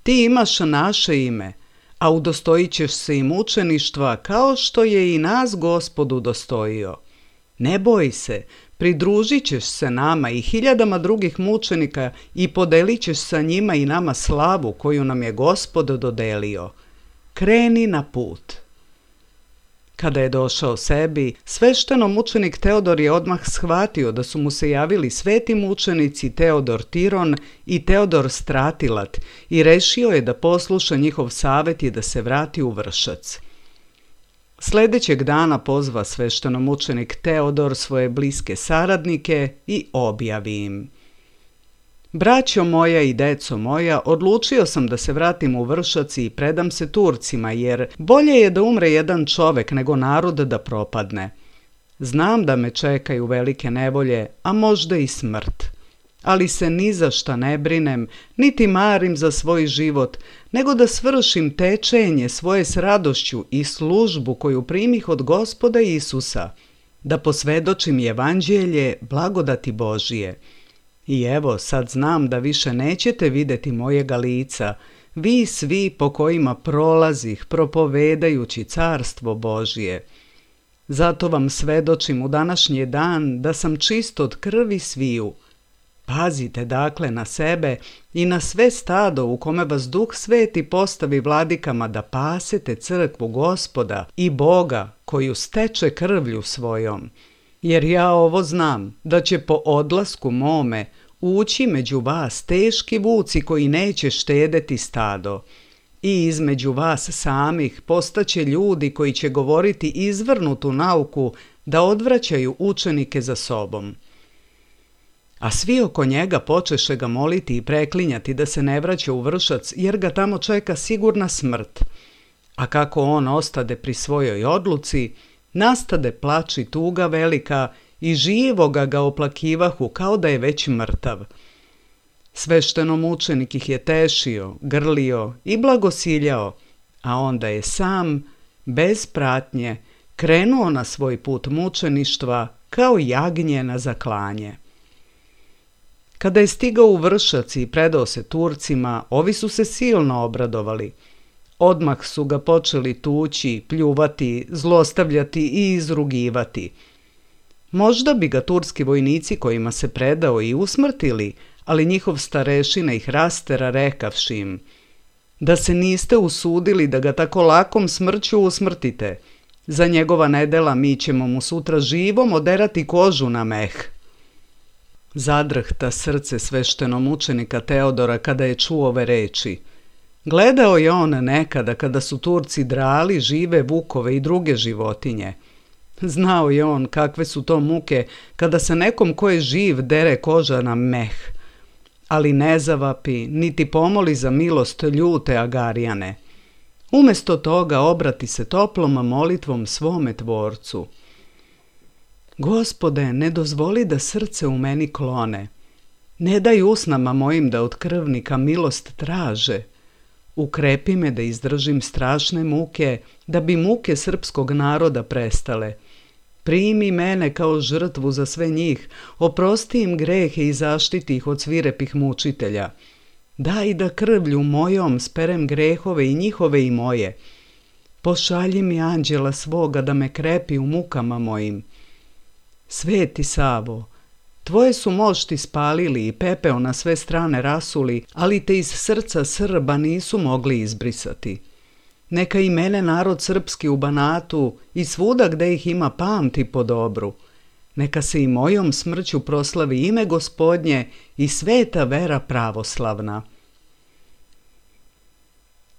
ti imaš naše ime, a udostojit ćeš se i mučeništva kao što je i nas Gospod udostojio. Ne boj se, pridružit ćeš se nama i hiljadama drugih mučenika i podelit ćeš sa njima i nama slavu koju nam je Gospod dodelio. Kreni na put. Kada je došao sebi, sveštenomučenik Teodor je odmah shvatio da su mu se javili sveti mučenici Teodor Tiron i Teodor Stratilat i rešio je da posluša njihov savet i da se vrati u Vršac. Sledećeg dana pozva sveštenomučenik Teodor svoje bliske saradnike i objavi im: Braćo moja i deco moja, odlučio sam da se vratim u Vršac i predam se Turcima, jer bolje je da umre jedan čovek nego narod da propadne. Znam da me čekaju velike nevolje, a možda i smrt. ali se ni za šta ne brinem, niti marim za svoj život, nego da svršim tečenje svoje s radošću i službu koju primih od Gospoda Isusa, da posvedočim evanđelje blagodati Božije. I evo, sad znam da više nećete vidjeti mojega lica, vi svi po kojima prolazih propovedajući carstvo Božije. Zato vam svedočim u današnji dan da sam čist od krvi sviju. Pazite dakle na sebe i na sve stado u kome vas Duh Sveti postavi vladikama da pasete crkvu Gospoda i Boga koju steče krvlju svojom. Jer ja ovo znam, da će po odlasku mome ući među vas teški vuci koji neće štedeti stado. I između vas samih postaće ljudi koji će govoriti izvrnutu nauku da odvraćaju učenike za sobom. A svi oko njega počeše ga moliti i preklinjati da se ne vraća u Vršac, jer ga tamo čeka sigurna smrt. A kako on ostade pri svojoj odluci, nastade plač i tuga velika i živoga ga oplakivahu kao da je već mrtav. Sveštenomučenik ih je tešio, grlio i blagosiljao, a onda je sam, bez pratnje, krenuo na svoj put mučeništva kao jagnje na zaklanje. Kada je stigao u Vršac i predao se Turcima, ovi su se silno obradovali. Odmah su ga počeli tući, pljuvati, zlostavljati i izrugivati. Možda bi ga turski vojnici kojima se predao i usmrtili, ali njihov starešina ih rastera rekavši im: da se niste usudili da ga tako lakom smrću usmrtite. Za njegova nedela mi ćemo mu sutra živom oderati kožu na meh. Zadrhta srce sveštenomučenika Teodora kada je čuo ove reči. Gledao je on nekada kada su Turci drali žive vukove i druge životinje. Znao je on kakve su to muke kada se nekom ko je živ dere koža na meh. Ali ne zavapi, niti pomoli za milost ljute Agarijane. Umesto toga obrati se toplom molitvom svome Tvorcu. Gospode, ne dozvoli da srce u meni klone. Ne daj usnama mojim da od krvnika milost traže. Ukrepi me da izdržim strašne muke, da bi muke srpskog naroda prestale. Primi mene kao žrtvu za sve njih, oprosti im grehe i zaštiti ih od svirepih mučitelja. Daj da krvlju mojom sperem grehove i njihove i moje. Pošalji mi anđela svoga da me krepi u mukama mojim. Sveti Savo, tvoje su mošti spalili i pepeo na sve strane rasuli, ali te iz srca Srba nisu mogli izbrisati. Neka i mene narod srpski u Banatu i svuda gde ih ima pamti po dobru. Neka se i mojom smrću proslavi ime Gospodnje i sveta vera pravoslavna.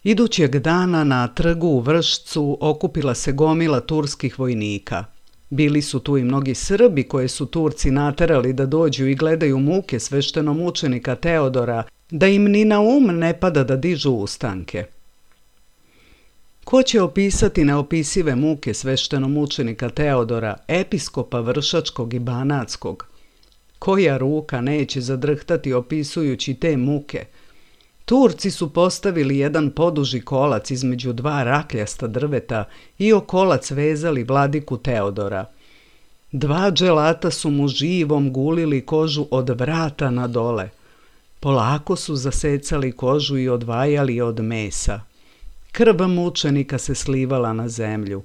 Idućeg dana na trgu u Vršcu okupila se gomila turskih vojnika. Bili su tu i mnogi Srbi koje su Turci naterali da dođu i gledaju muke sveštenomučenika Teodora, da im ni na ne pada da dižu ustanke. Ko će opisati neopisive muke sveštenomučenika Teodora, episkopa Vršačkog i Banatskog? Koja ruka neće zadrhtati opisujući te muke? Turci su postavili jedan poduži kolac između dva rakljasta drveta i o kolac vezali vladiku Teodora. Dva dželata su mu živom gulili kožu od vrata na dole. Polako su zasecali kožu i odvajali od mesa. Krv mučenika se slivala na zemlju.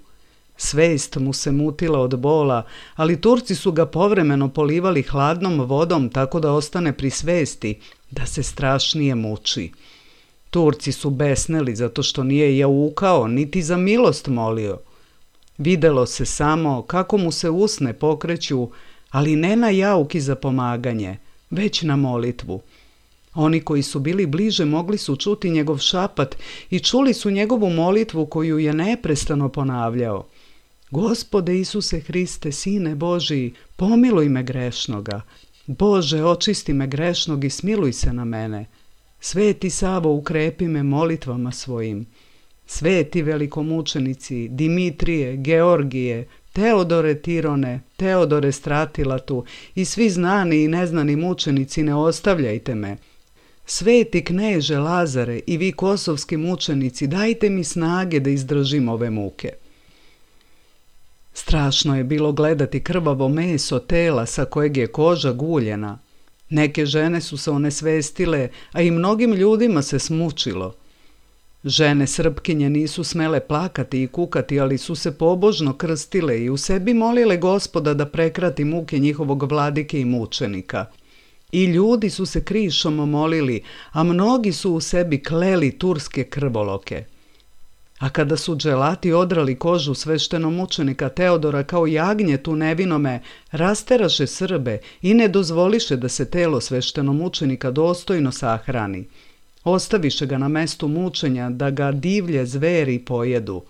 Svest mu se mutila od bola, ali Turci su ga povremeno polivali hladnom vodom tako da ostane pri svesti, da se strašnije muči. Turci su besneli zato što nije jaukao, niti za milost molio. Videlo se samo kako mu se usne pokreću, ali ne na jauki za pomaganje, već na molitvu. Oni koji su bili bliže mogli su čuti njegov šapat i čuli su njegovu molitvu koju je neprestano ponavljao. Gospode Isuse Hriste, Sine Božiji, pomiluj me grešnoga. Bože, očisti me grešnog i smiluj se na mene. Sveti Savo, ukrepi me molitvama svojim. Sveti velikomučenici, Dimitrije, Georgije, Teodore Tirone, Teodore Stratilatu i svi znani i neznani mučenici, ne ostavljajte me. Sveti kneže Lazare i vi kosovski mučenici, dajte mi snage da izdržim ove muke. Strašno je bilo gledati krvavo meso tela sa kojeg je koža guljena. Neke žene su se onesvestile, a i mnogim ljudima se smučilo. Žene Srpkinje nisu smele plakati i kukati, ali su se pobožno krstile i u sebi molile Gospoda da prekrati muke njihovog vladike i mučenika. I ljudi su se krišom molili, a mnogi su u sebi kleli turske krvoloke. A kada su dželati odrali kožu sveštenomučenika Teodora kao jagnjetu nevinome, rasteraše Srbe i ne dozvoliše da se telo sveštenomučenika dostojno sahrani. Ostaviše ga na mestu mučenja da ga divlje zveri pojedu.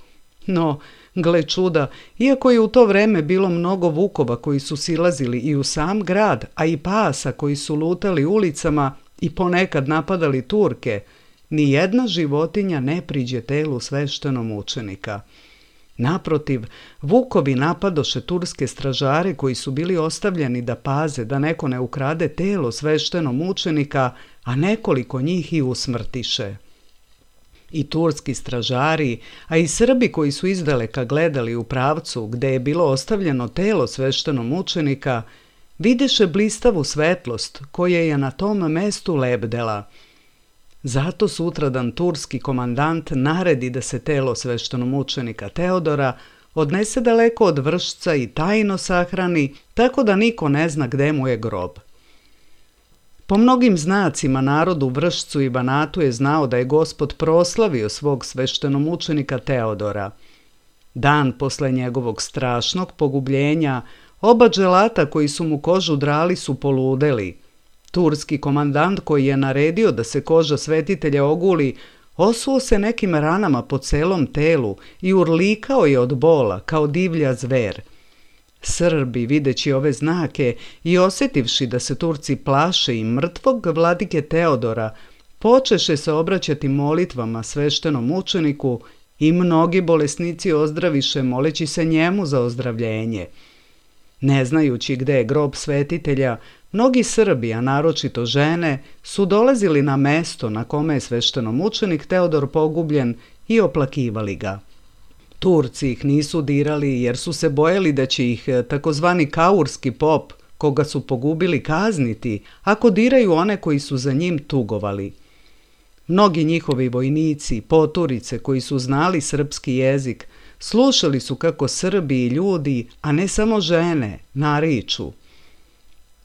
No, gle čuda, iako je u to vreme bilo mnogo vukova koji su silazili i u sam grad, a i pasa koji su lutali ulicama i ponekad napadali Turke, ni jedna životinja ne priđe telu sveštenomučenika. Naprotiv, vukovi napadoše turske stražare koji su bili ostavljeni da paze da neko ne ukrade telo sveštenomučenika, a nekoliko njih i usmrtiše. I turski stražari, a i Srbi koji su izdaleka gledali u pravcu gde je bilo ostavljeno telo sveštenomučenika, videše blistavu svetlost koja je na tom mestu lebdela. Zato sutradan turski komandant naredi da se telo sveštenomučenika Teodora odnese daleko od Vršca i tajno sahrani, tako da niko ne zna gde mu je grob. Po mnogim znacima narod u Vršcu i Banatu je znao da je Gospod proslavio svog sveštenomučenika Teodora. Dan posle njegovog strašnog pogubljenja, oba dželata koji su mu kožu drali su poludeli. Turski komandant koji je naredio da se koža svetitelja oguli, osuo se nekim ranama po celom telu i urlikao je od bola kao divlja zver. Srbi, videći ove znake i osjetivši da se Turci plaše i mrtvog vladike Teodora, počeše se obraćati molitvama sveštenom mučeniku i mnogi bolesnici ozdraviše moleći se njemu za ozdravljenje. Ne znajući gde je grob svetitelja, mnogi Srbi, a naročito žene, su dolazili na mesto na kome je sveštenomučenik Teodor pogubljen i oplakivali ga. Turci ih nisu dirali jer su se bojali da će ih takozvani kaurski pop, koga su pogubili, kazniti ako diraju one koji su za njim tugovali. Mnogi njihovi vojnici, poturice koji su znali srpski jezik, slušali su kako Srbi i ljudi, a ne samo žene, nariču: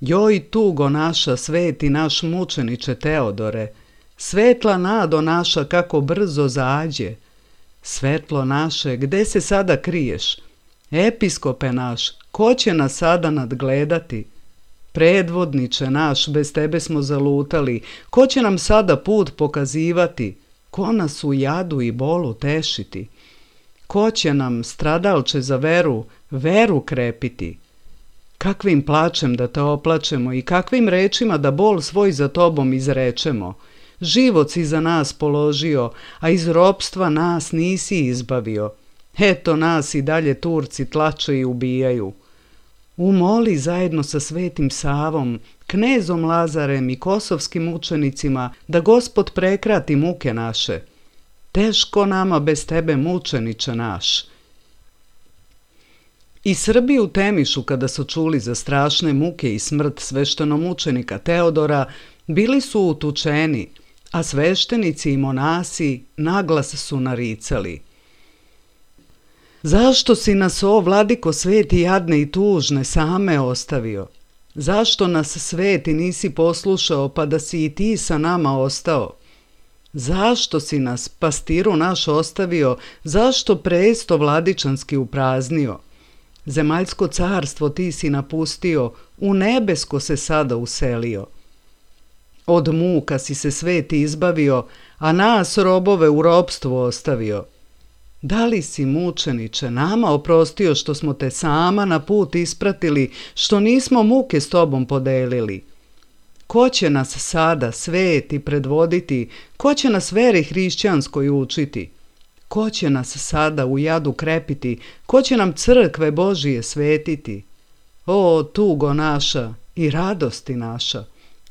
"Joj tugo naša, sveti naš mučeniče Teodore, svetla nado naša kako brzo zađe. Svetlo naše, gde se sada kriješ? Episkope naš, ko će nas sada nadgledati? Predvodniče naš, bez tebe smo zalutali, ko će nam sada put pokazivati? Ko nas u jadu i bolu tešiti? Ko će nam, stradalče za veru, veru krepiti? Kakvim plačem da te oplačemo i kakvim rečima da bol svoj za tobom izrečemo? Život si za nas položio, a iz ropstva nas nisi izbavio. Eto nas i dalje Turci tlače i ubijaju. Umoli zajedno sa Svetim Savom, knezom Lazarem i kosovskim učenicima da Gospod prekrati muke naše. Teško nama bez tebe, mučeniče naš." I Srbi u Temišu, kada su čuli za strašne muke i smrt sveštenomučenika Teodora, bili su utučeni, a sveštenici i monasi naglas su naricali: "Zašto si nas, o vladiko sveti, jadne i tužne, same ostavio? Zašto nas, sveti, nisi poslušao pa da si i ti sa nama ostao? Zašto si nas, pastiru naš, ostavio? Zašto presto vladičanski upraznio? Zemaljsko carstvo ti si napustio, u nebesko se sada uselio. Od muka si se, sveti, izbavio, a nas, robove, u ropstvu ostavio. Da li si, mučeniče, nama oprostio što smo te sama na put ispratili, što nismo muke s tobom podelili? Ko će nas sada, sveti, predvoditi? Ko će nas veri hrišćanskoj učiti? Ko će nas sada u jadu krepiti? Ko će nam crkve Božije svetiti? O, tugo naša i radosti naša!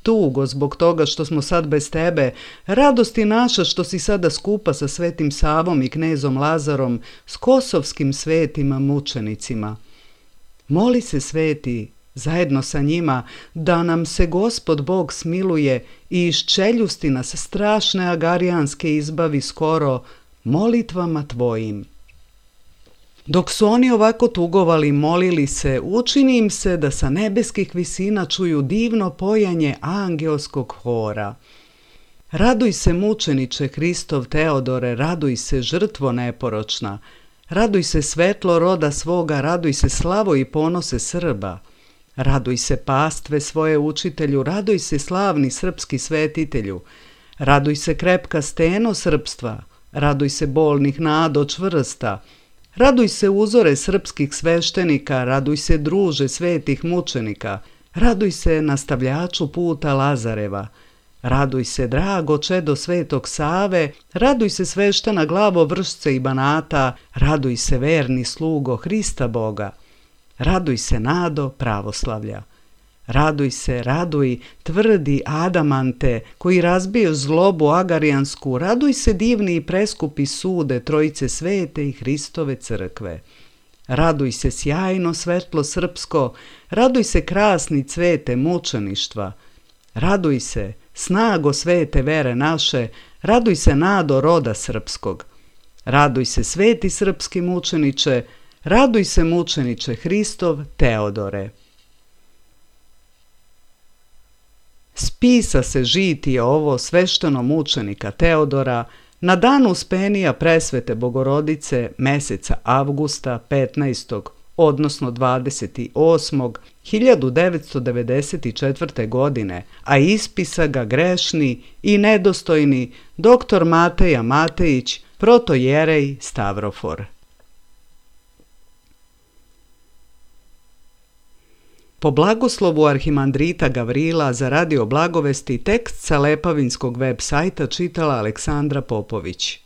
Tugo zbog toga što smo sad bez tebe, radosti naša što si sada skupa sa Svetim Savom i knezom Lazarom, s kosovskim svetima mučenicima. Moli se, sveti, zajedno sa njima, da nam se Gospod Bog smiluje i iz čeljusti nas strašne agarijanske izbavi skoro molitvama tvojim. Dok su oni ovako tugovali, molili se, učini im se da sa nebeskih visina čuju divno pojanje angelskog hora. Raduj se, mučeniče Hristov Teodore, raduj se, žrtvo neporočna, raduj se, svetlo roda svoga, raduj se, slavo i ponose Srba. Raduj se, pastve svoje učitelju, raduj se, slavni srpski svetitelju, raduj se, krepka steno srpstva, raduj se, bolnih nado čvrsta, raduj se, uzore srpskih sveštenika, raduj se, druže svetih mučenika, raduj se, nastavljaču puta Lazareva, raduj se, drago čedo Svetog Save, raduj se, sveštena glavo Vršce i Banata, raduj se, verni slugo Hrista Boga, raduj se, nado pravoslavlja. Raduj se, raduj, tvrdi adamante, koji razbiješ zlobu agarijansku, raduj se, divni i preskupi sude Trojice Svete i Hristove crkve. Raduj se, sjajno svetlo srpsko, raduj se, krasni cvete mučeništva. Raduj se, snago svete vere naše, raduj se, nado roda srpskog. Raduj se, sveti srpski mučeniče, raduj se, mučeniče Hristov Teodore. Spisa se žitije ovo svešteno mučenika Teodora na dan uspenija presvete Bogorodice meseca avgusta 15. odnosno 28. 1994. godine, a ispisa ga grešni i nedostojni dr. Mateja Matejić, protojerej Stavrofor. Po blagoslovu arhimandrita Gavrila za Radio Blagovesti tekst sa Lepavinskog web sajta čitala Aleksandra Popović.